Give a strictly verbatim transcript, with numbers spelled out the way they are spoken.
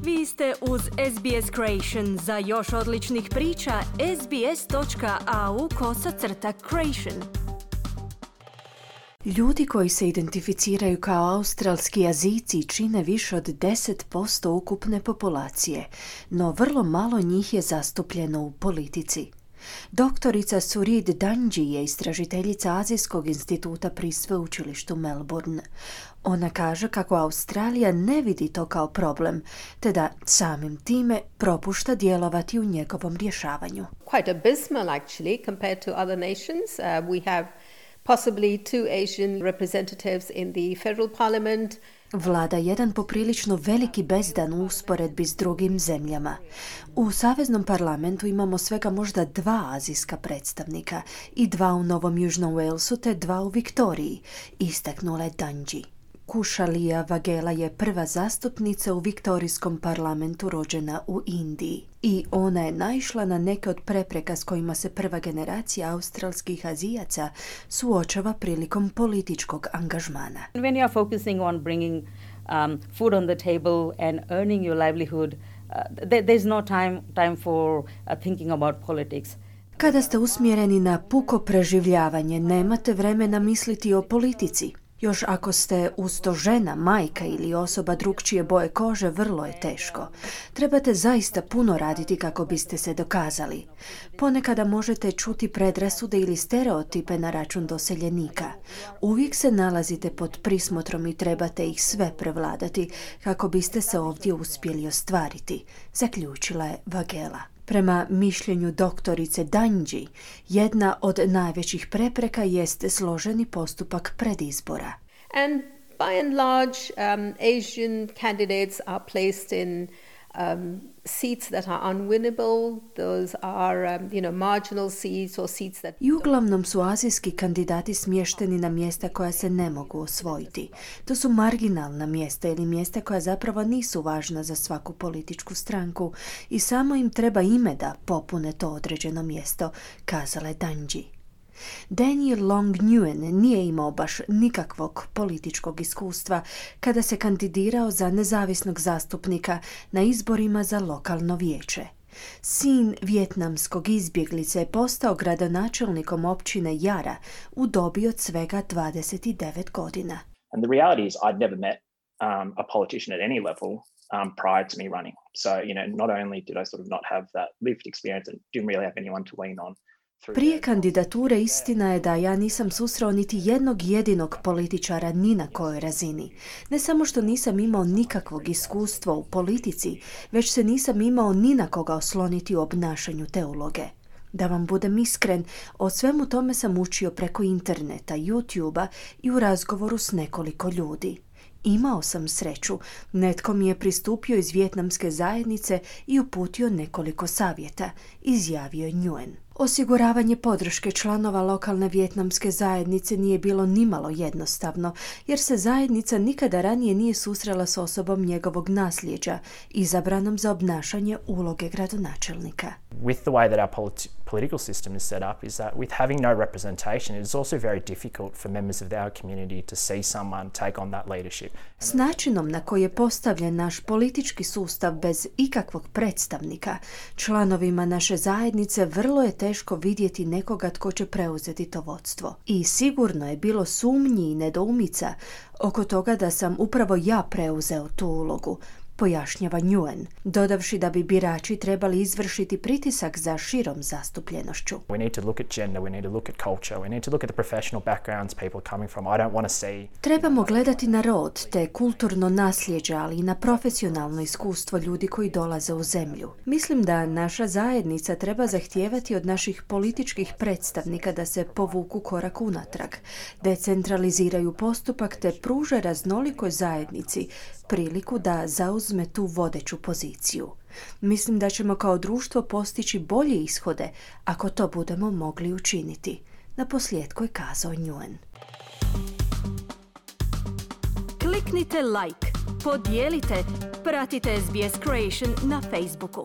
Vi ste uz S B S Creation. Za još odličnih priča, sbs.au kosacrta creation. Ljudi koji se identificiraju kao australski Azijci čine više od deset posto ukupne populacije, no vrlo malo njih je zastupljeno u politici. Doktorica Surid Danji je istražiteljica Azijskog instituta pri sveučilištu Melbourne. Ona kaže kako Australija ne vidi to kao problem, te da samim time propušta djelovati u njegovom rješavanju. Quite abysmal actually compared to other nations. Uh, we have possibly two Asian representatives in the federal parliament. Vlada jedan poprilično veliki bezdan u usporedbi s drugim zemljama. U Saveznom parlamentu imamo svega možda dva azijska predstavnika i dva u Novom Južnom Walesu te dva u Viktoriji, istaknula je Danji. Kushalya Vaghela je prva zastupnica u Viktorijskom parlamentu rođena u Indiji i ona je naišla na neke od prepreka s kojima se prva generacija australskih Azijaca suočava prilikom političkog angažmana. When you are focusing on bringing um, food on the table and earning your livelihood, uh, there, there's no time, time for uh, thinking about politics. Kada ste usmjereni na puko preživljavanje, nemate vremena misliti o politici. Još ako ste uz to žena, majka ili osoba drukčije boje kože, vrlo je teško. Trebate zaista puno raditi kako biste se dokazali. Ponekada možete čuti predrasude ili stereotipe na račun doseljenika. Uvijek se nalazite pod prismotrom i trebate ih sve prevladati kako biste se ovdje uspjeli ostvariti, zaključila je Vaghela. Prema mišljenju doktorice Danji, jedna od najvećih prepreka jeste složeni postupak predizbora. And by and large, um, Asian candidates are placed in um, seats that are unwinnable. Those are, um, you know, marginal seats or seats that... I uglavnom su azijski kandidati smješteni na mjesta koja se ne mogu osvojiti. To su marginalna mjesta ili mjesta koja zapravo nisu važna za svaku političku stranku i samo im treba ime da popune to određeno mjesto, kazala je Danji. Daniel Long Nguyen nije imao baš nikakvog političkog iskustva kada se kandidirao za nezavisnog zastupnika na izborima za lokalno vijeće. Sin vijetnamskog izbjeglice je postao gradonačelnikom općine Yara u dobi od svega dvadeset devet godina. And the reality is I'd never met um, a politician at any level um, prior to me running. So, you know, not only did I sort of not have that lived experience and didn't really have anyone to lean on. Prije kandidature istina je da ja nisam susreo niti jednog jedinog političara ni na kojoj razini. Ne samo što nisam imao nikakvog iskustva u politici, već se nisam imao ni na koga osloniti u obnašanju te uloge. Da vam budem iskren, o svemu tome sam učio preko interneta, YouTube-a i u razgovoru s nekoliko ljudi. Imao sam sreću, netko mi je pristupio iz vijetnamske zajednice i uputio nekoliko savjeta, izjavio je Nguyen. Osiguravanje podrške članova lokalne vijetnamske zajednice nije bilo nimalo jednostavno, jer se zajednica nikada ranije nije susrela s osobom njegovog nasljeđa, izabranom za obnašanje uloge gradonačelnika. With the way that our politi- political system is set up is that with having no representation, it is also very difficult for members of our community to see someone take on that leadership. S načinom na koji je postavljen naš politički sustav bez ikakvog predstavnika, članovima naše zajednice vrlo je teško vidjeti nekoga tko će preuzeti to vodstvo. I sigurno je bilo sumnji i nedoumica oko toga da sam upravo ja preuzeo tu ulogu, pojašnjava Nguyen, dodavši da bi birači trebali izvršiti pritisak za širom zastupljenošću. We need to look at gender, we need to look at culture, we need to look at the professional backgrounds people are coming from. I don't want to see... Trebamo gledati na rod, te kulturno nasljeđe, ali i na profesionalno iskustvo ljudi koji dolaze u zemlju. Mislim da naša zajednica treba zahtijevati od naših političkih predstavnika da se povuku korak unatrag, decentraliziraju postupak te pruže raznolikoj zajednici priliku da zauzme tu vodeću poziciju. Mislim da ćemo kao društvo postići bolje ishode ako to budemo mogli učiniti. Na posljedku je kazao Nguyen. Kliknite like, podijelite, pratite S B S Creation na Facebooku.